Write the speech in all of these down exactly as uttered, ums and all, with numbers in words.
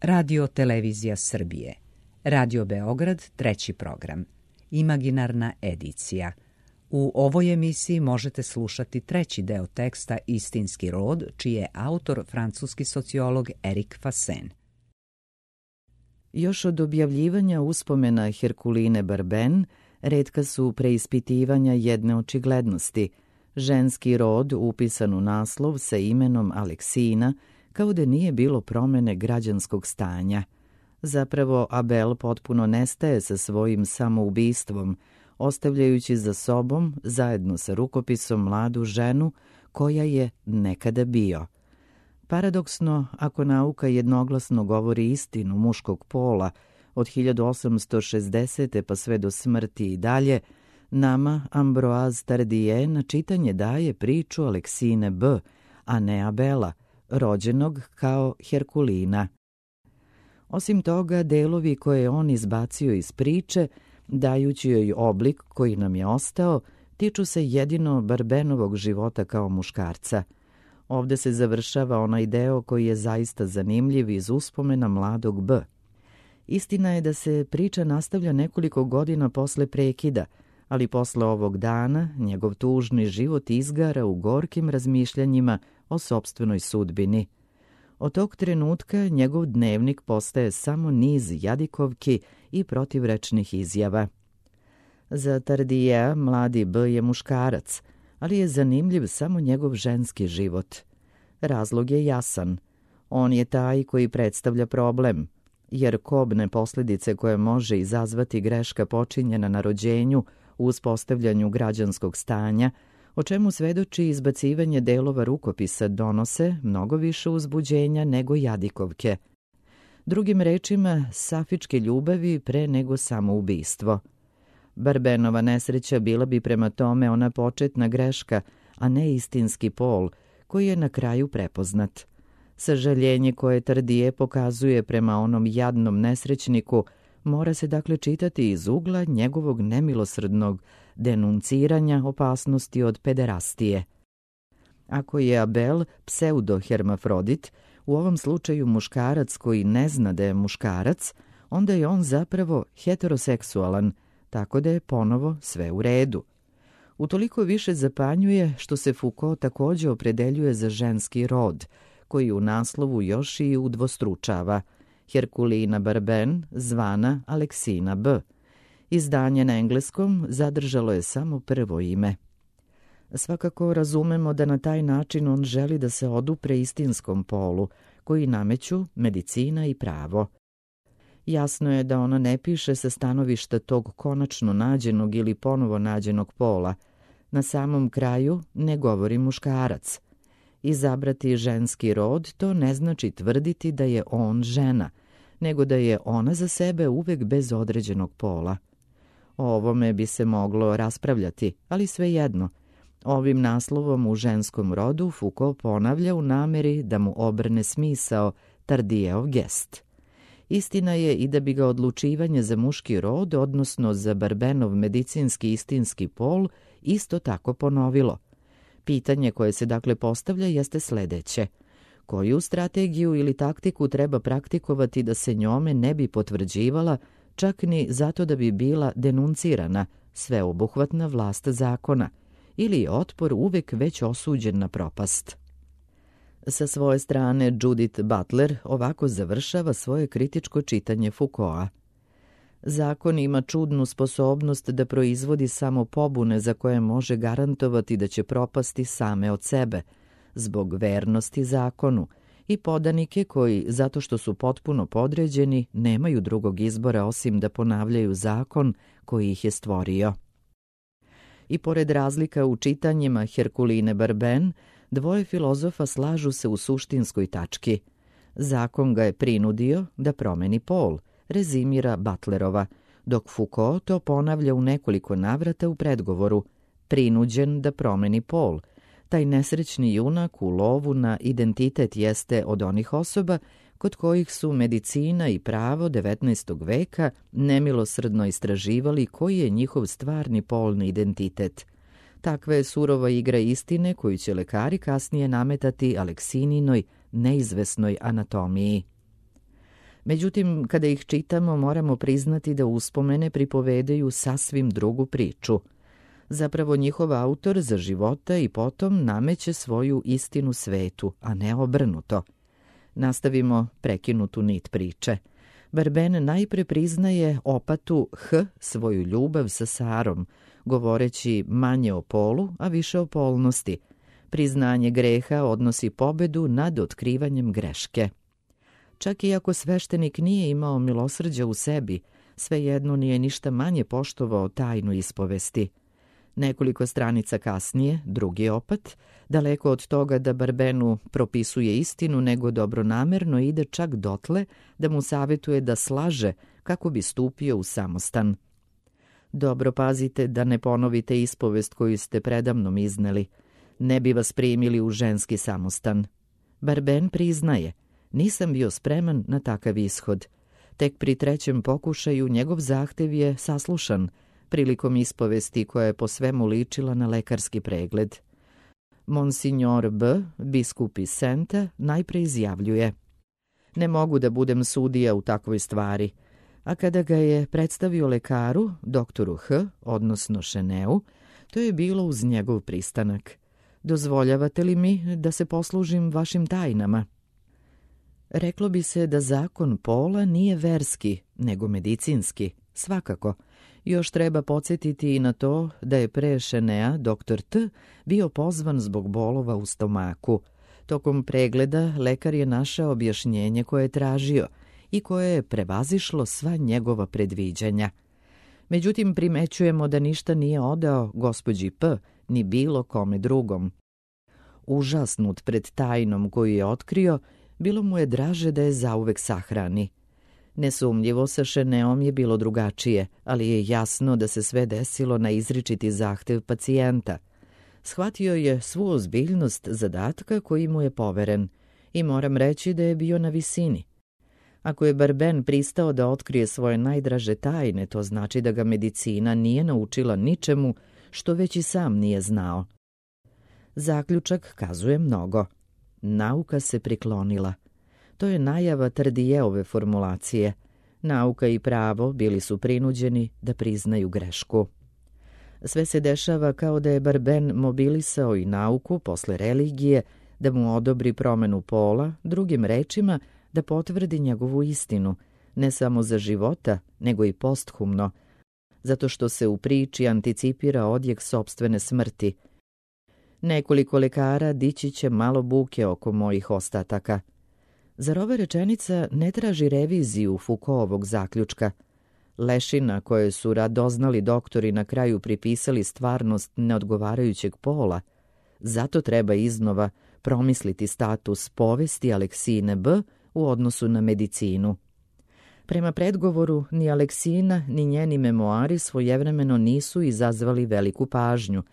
Radio Televizija Srbije. Radio Beograd, treći program. Imaginarna edicija. U ovoj emisiji možete slušati treći deo teksta Istinski rod, čiji je autor francuski sociolog Erik Fasen. Još od objavljivanja uspomena Herkuline Barben, retka su preispitivanja jedne očiglednosti. Ženski rod upisan u naslov sa imenom Aleksina, kao da nije bilo promene građanskog stanja. Zapravo, Abel potpuno nestaje sa svojim samoubistvom, ostavljajući za sobom, zajedno sa rukopisom, mladu ženu koja je nekada bio. Paradoksno, ako nauka jednoglasno govori istinu muškog pola, od hiljadu osamsto šezdesete pa sve do smrti i dalje, nama Ambroise Tardieu na čitanje daje priču Aleksine B., a ne Abela, rođenog kao Herkulina. Osim toga, delovi koje je on izbacio iz priče, dajući joj oblik koji nam je ostao, tiču se jedino Barbenovog života kao muškarca. Ovde se završava onaj deo koji je zaista zanimljiv iz uspomena mladog B. Istina je da se priča nastavlja nekoliko godina posle prekida, ali posle ovog dana njegov tužni život izgara u gorkim razmišljanjima o sopstvenoj sudbini. Od tog trenutka njegov dnevnik postaje samo niz jadikovki i protivrečnih izjava. Za Tardiea mladi B je muškarac, ali je zanimljiv samo njegov ženski život. Razlog je jasan. On je taj koji predstavlja problem, jer kobne posljedice koje može izazvati greška počinjena na rođenju u uspostavljanju građanskog stanja, o čemu svedoči izbacivanje delova rukopisa, donose mnogo više uzbuđenja nego jadikovke. Drugim rečima, safičke ljubavi pre nego samoubistvo. Barbenova nesreća bila bi prema tome ona početna greška, a ne istinski pol, koji je na kraju prepoznat. Sažaljenje koje Tardieu pokazuje prema onom jadnom nesrećniku mora se dakle čitati iz ugla njegovog nemilosrdnog denunciranja opasnosti od pederastije. Ako je Abel pseudo-hermafrodit, u ovom slučaju muškarac koji ne zna da je muškarac, onda je on zapravo heteroseksualan, tako da je ponovo sve u redu. Utoliko više zapanjuje što se Foucault također opredeljuje za ženski rod, koji u naslovu još i udvostručava Herkulina Barben, zvana Aleksina B. Izdanje na engleskom zadržalo je samo prvo ime. Svakako razumemo da na taj način on želi da se odupre istinskom polu, koji nameću medicina i pravo. Jasno je da ona ne piše sa stanovišta tog konačno nađenog ili ponovo nađenog pola. Na samom kraju ne govori muškarac. Izabrati ženski rod to ne znači tvrditi da je on žena, nego da je ona za sebe uvek bez određenog pola. O ovome bi se moglo raspravljati, ali svejedno. Ovim naslovom u ženskom rodu Foucault ponavlja u nameri da mu obrne smisao Tardieov gest. Istina je i da bi ga odlučivanje za muški rod, odnosno za Barbenov medicinski istinski pol, isto tako ponovilo. Pitanje koje se dakle postavlja jeste sledeće. Koju strategiju ili taktiku treba praktikovati da se njome ne bi potvrđivala, čak ni zato da bi bila denuncirana, sveobuhvatna vlast zakona, ili je otpor uvek već osuđen na propast? Sa svoje strane Judith Butler ovako završava svoje kritičko čitanje Foucaulta. Zakon ima čudnu sposobnost da proizvodi samo pobune za koje može garantovati da će propasti same od sebe, zbog vernosti zakonu, i podanike koji, zato što su potpuno podređeni, nemaju drugog izbora osim da ponavljaju zakon koji ih je stvorio. I pored razlika u čitanjima Herkuline Barben, dvoje filozofa slažu se u suštinskoj tački. Zakon ga je prinudio da promeni pol, rezimira Butlerova, dok Foucault to ponavlja u nekoliko navrata u predgovoru, prinuđen da promeni pol. Taj nesrećni junak u lovu na identitet jeste od onih osoba kod kojih su medicina i pravo devetnaestog veka nemilosrdno istraživali koji je njihov stvarni polni identitet. Takva je surova igra istine koju će lekari kasnije nametati Aleksininoj neizvesnoj anatomiji. Međutim, kada ih čitamo, moramo priznati da uspomene pripovedaju sasvim drugu priču. Zapravo njihov autor za života i potom nameće svoju istinu svetu, a ne obrnuto. Nastavimo prekinutu nit priče. Barben najpre priznaje opatu H svoju ljubav sa Sarom, govoreći manje o polu, a više o polnosti. Priznanje greha odnosi pobedu nad otkrivanjem greške. Čak i ako sveštenik nije imao milosrđa u sebi, svejedno nije ništa manje poštovao tajnu ispovesti. Nekoliko stranica kasnije, drugi opat, daleko od toga da Barbenu propisuje istinu, nego dobronamerno ide čak dotle da mu savjetuje da slaže kako bi stupio u samostan. Dobro pazite da ne ponovite ispovest koju ste predamnom izneli. Ne bi vas primili u ženski samostan. Barben priznaje, nisam bio spreman na takav ishod. Tek pri trećem pokušaju njegov zahtev je saslušan, prilikom ispovesti koja je po svemu ličila na lekarski pregled. Monsignor B., biskup iz Senta, najpre izjavljuje: ne mogu da budem sudija u takvoj stvari, a kada ga je predstavio lekaru, doktoru H., odnosno Šeneu, to je bilo uz njegov pristanak. Dozvoljavate li mi da se poslužim vašim tajnama? Reklo bi se da zakon pola nije verski, nego medicinski, svakako. Još treba podsjetiti i na to da je pre Šenea doktor T. bio pozvan zbog bolova u stomaku. Tokom pregleda lekar je našao objašnjenje koje je tražio i koje je prevazišlo sva njegova predviđanja. Međutim, primećujemo da ništa nije odao gospođi P. ni bilo kome drugom. Užasnut pred tajnom koju je otkrio, bilo mu je draže da je zauvek sahrani. Nesumnjivo sa Šeneom je bilo drugačije, ali je jasno da se sve desilo na izričiti zahtev pacijenta. Shvatio je svu ozbiljnost zadatka koji mu je poveren i moram reći da je bio na visini. Ako je Barben pristao da otkrije svoje najdraže tajne, to znači da ga medicina nije naučila ničemu što već i sam nije znao. Zaključak kazuje mnogo. Nauka se priklonila. To je najava Tardijeove formulacije. Nauka i pravo bili su prinuđeni da priznaju grešku. Sve se dešava kao da je Barben mobilisao i nauku posle religije da mu odobri promenu pola, drugim rečima da potvrdi njegovu istinu, ne samo za života, nego i posthumno, zato što se u priči anticipira odjek sopstvene smrti. Nekoliko lekara dići će malo buke oko mojih ostataka. Zar ova rečenica ne traži reviziju Foucaultovog zaključka? Lešina koje su radoznali doktori na kraju pripisali stvarnost neodgovarajućeg pola, zato treba iznova promisliti status povesti Aleksine B. u odnosu na medicinu. Prema predgovoru, ni Aleksina ni njeni memoari svojevremeno nisu izazvali veliku pažnju.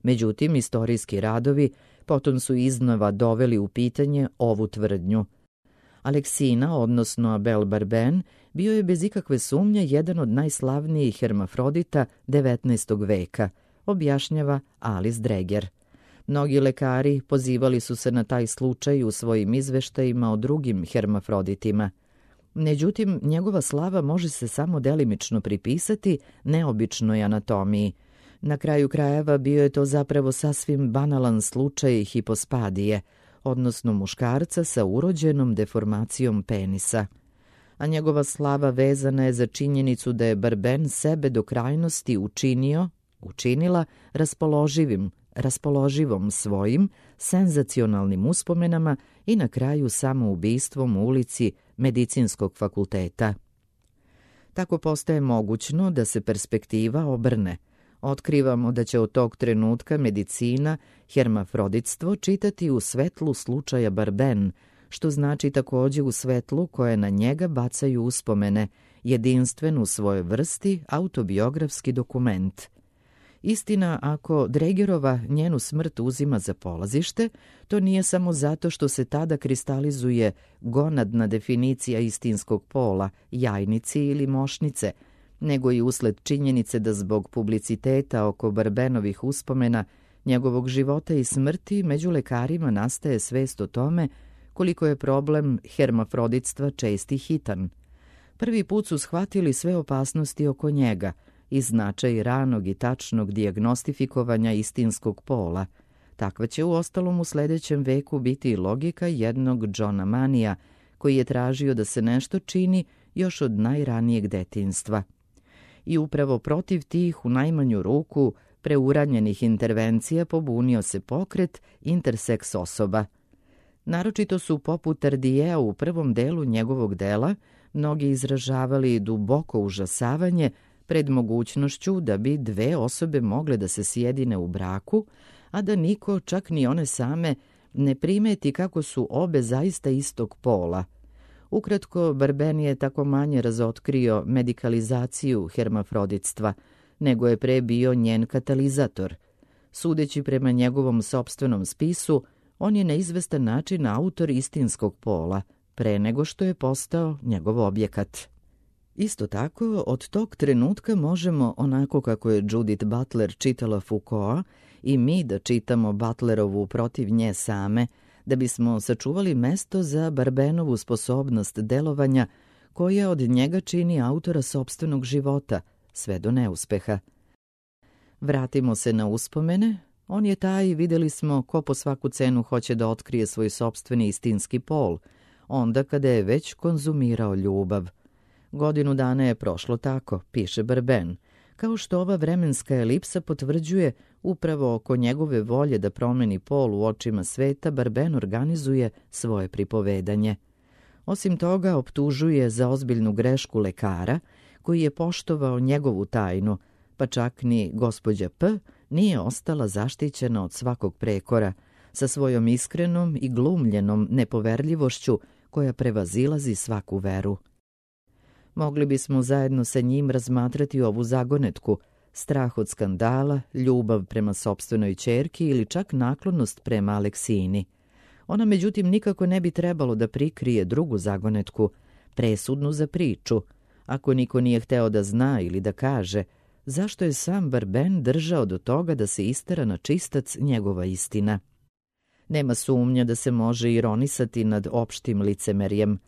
Međutim, istorijski radovi potom su iznova doveli u pitanje ovu tvrdnju. Aleksina, odnosno Abel Barben, bio je bez ikakve sumnje jedan od najslavnijih hermafrodita devetnaestog veka, objašnjava Alice Dreger. Mnogi lekari pozivali su se na taj slučaj u svojim izveštajima o drugim hermafroditima. Međutim, njegova slava može se samo delimično pripisati neobičnoj anatomiji. Na kraju krajeva bio je to zapravo sasvim banalan slučaj hipospadije, odnosno muškarca sa urođenom deformacijom penisa. A njegova slava vezana je za činjenicu da je Barben sebe do krajnosti učinio, učinila raspoloživim, raspoloživom svojim, senzacionalnim uspomenama i na kraju samoubistvom u ulici Medicinskog fakulteta. Tako postaje mogućno da se perspektiva obrne. Otkrivamo da će od tog trenutka medicina hermafroditstvo čitati u svetlu slučaja Barben, što znači također u svetlu koje na njega bacaju uspomene, jedinstven u svojoj vrsti autobiografski dokument. Istina, ako Dregerova njenu smrt uzima za polazište, to nije samo zato što se tada kristalizuje gonadna definicija istinskog pola, jajnici ili mošnice, nego i usled činjenice da zbog publiciteta oko Barbenovih uspomena, njegovog života i smrti, među lekarima nastaje svest o tome koliko je problem hermafroditstva čest i hitan. Prvi put su shvatili sve opasnosti oko njega i značaj ranog i tačnog dijagnostifikovanja istinskog pola. Takva će uostalom u sljedećem veku biti i logika jednog Johna Manija, koji je tražio da se nešto čini još od najranijeg detinjstva. I upravo protiv tih, u najmanju ruku, preuranjenih intervencija pobunio se pokret interseks osoba. Naročito su poput Tardiea u prvom delu njegovog dela mnogi izražavali duboko užasavanje pred mogućnošću da bi dve osobe mogle da se sjedine u braku, a da niko, čak ni one same, ne primeti kako su obe zaista istog pola. Ukratko, Barben je tako manje razotkrio medikalizaciju hermafroditstva, nego je pre bio njen katalizator. Sudeći prema njegovom sopstvenom spisu, on je na izvestan način autor istinskog pola, pre nego što je postao njegov objekat. Isto tako, od tog trenutka možemo, onako kako je Judith Butler čitala Foucaulta, i mi da čitamo Butlerovu protiv nje same, da bismo sačuvali mesto za Barbenovu sposobnost delovanja koja od njega čini autora sopstvenog života, sve do neuspeha. Vratimo se na uspomene. On je taj, vidjeli smo, ko po svaku cenu hoće da otkrije svoj sopstveni istinski pol, onda kada je već konzumirao ljubav. Godinu dana je prošlo tako, piše Barben, kao što ova vremenska elipsa potvrđuje, upravo oko njegove volje da promeni pol u očima sveta, Barben organizuje svoje pripovedanje. Osim toga, optužuje za ozbiljnu grešku lekara, koji je poštovao njegovu tajnu, pa čak ni gospođa P. nije ostala zaštićena od svakog prekora, sa svojom iskrenom i glumljenom nepoverljivošću koja prevazilazi svaku veru. Mogli bismo zajedno sa njim razmatrati ovu zagonetku, strah od skandala, ljubav prema sopstvenoj ćerki ili čak naklonost prema Aleksini. Ona međutim nikako ne bi trebalo da prikrije drugu zagonetku, presudnu za priču, ako niko nije hteo da zna ili da kaže zašto je sam Barben držao do toga da se istera na čistac njegova istina. Nema sumnja da se može ironisati nad opštim licemerjem.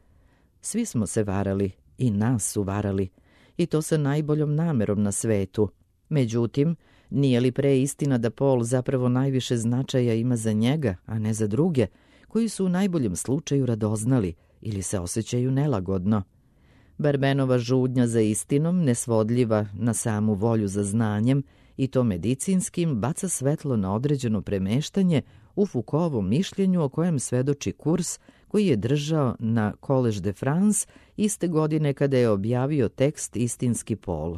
Svi smo se varali, i nas su varali, i to sa najboljom namerom na svetu. Međutim, nije li pre istina da pol zapravo najviše značaja ima za njega, a ne za druge, koji su u najboljem slučaju radoznali ili se osjećaju nelagodno? Barbenova žudnja za istinom, nesvodljiva na samu volju za znanjem, i to medicinskim, baca svetlo na određeno premeštanje u Foucaultovom mišljenju o kojem svedoči kurs koji je držao na Collège de France iste godine kada je objavio tekst Istinski pol.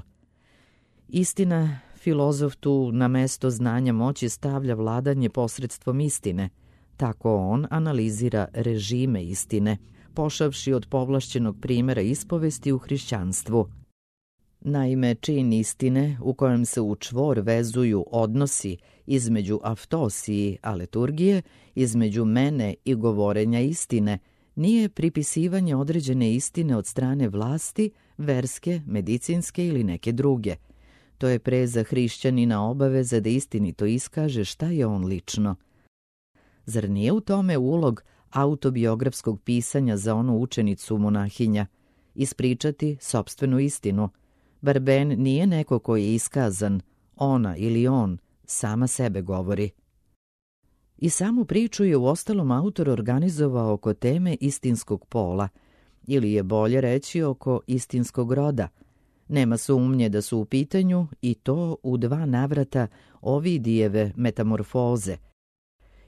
Istina, filozof tu na mesto znanja moći stavlja vladanje posredstvom istine. Tako on analizira režime istine, pošavši od povlašćenog primjera ispovesti u hrišćanstvu. Naime, čin istine, u kojem se u čvor vezuju odnosi između aftosiji, a liturgije, između mene i govorenja istine, nije pripisivanje određene istine od strane vlasti, verske, medicinske ili neke druge. To je pre za hrišćanina obaveza da istinito iskaže šta je on lično. Zar nije u tome ulog autobiografskog pisanja za onu učenicu monahinja? Ispričati sopstvenu istinu. Barben nije neko koji je iskazan, ona ili on, sama sebe govori. I samu priču je uostalom autor organizovao oko teme istinskog pola, ili je bolje reći oko istinskog roda. Nema sumnje da su u pitanju, i to u dva navrata, Ovidijeve metamorfoze.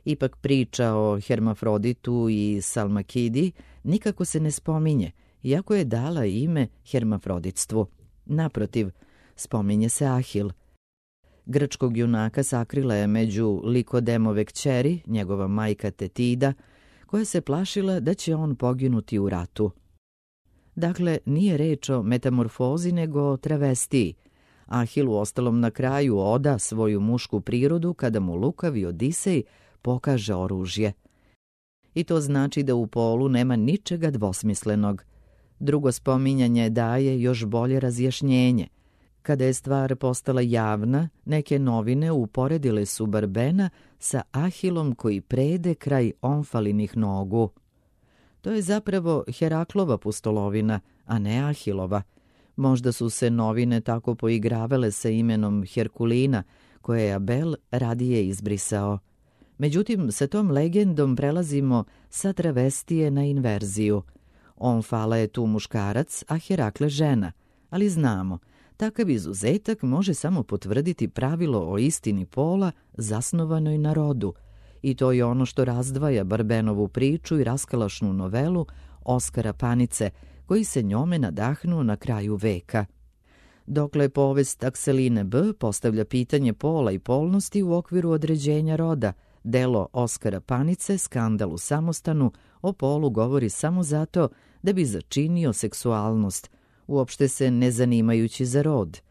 Ipak priča o Hermafroditu i Salmakidi nikako se ne spominje, iako je dala ime hermafroditstvu. Naprotiv, spominje se Ahil. Grčkog junaka sakrila je među Likodemove kćeri, njegova majka Tetida, koja se plašila da će on poginuti u ratu. Dakle, nije reč o metamorfozi nego o travestiji. Ahil u ostalom na kraju oda svoju mušku prirodu kada mu lukavi Odisej pokaže oružje. I to znači da u polu nema ničega dvosmislenog. Drugo spominjanje daje još bolje razjašnjenje. Kada je stvar postala javna, neke novine uporedile su Barbena sa Ahilom koji prede kraj Omfalinih nogu. To je zapravo Heraklova pustolovina, a ne Ahilova. Možda su se novine tako poigravale sa imenom Herkulina, koje je Abel radije izbrisao. Međutim, sa tom legendom prelazimo sa travestije na inverziju. Omfala je tu muškarac, a Herakle žena, ali znamo, takav izuzetak može samo potvrditi pravilo o istini pola zasnovanoj na rodu, i to je ono što razdvaja Barbenovu priču i raskalašnu novelu Oskara Panice, koji se njome nadahnuo na kraju veka. Dokle povest Akseline B. postavlja pitanje pola i polnosti u okviru određenja roda, delo Oskara Panice, Skandal u samostanu, o polu govori samo zato da bi začinio seksualnost, uopšte se ne zanimajući za rod.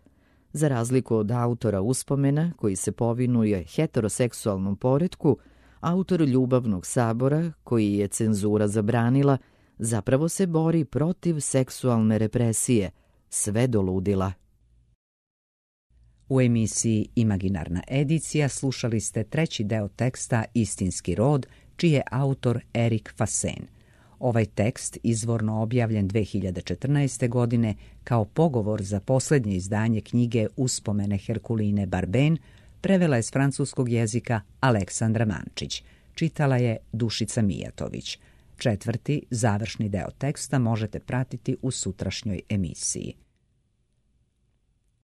Za razliku od autora Uspomena, koji se povinuje heteroseksualnom poretku, autor Ljubavnog sabora, koji je cenzura zabranila, zapravo se bori protiv seksualne represije, sve do ludila. U emisiji Imaginarna edicija slušali ste treći deo teksta Istinski rod, čiji je autor Erik Fasen. Ovaj tekst, izvorno objavljen dve hiljade četrnaeste. godine kao pogovor za posljednje izdanje knjige Uspomene Herkuline Barben, prevela je s francuskog jezika Aleksandra Mančić. Čitala je Dušica Mijatović. Četvrti, završni deo teksta možete pratiti u sutrašnjoj emisiji.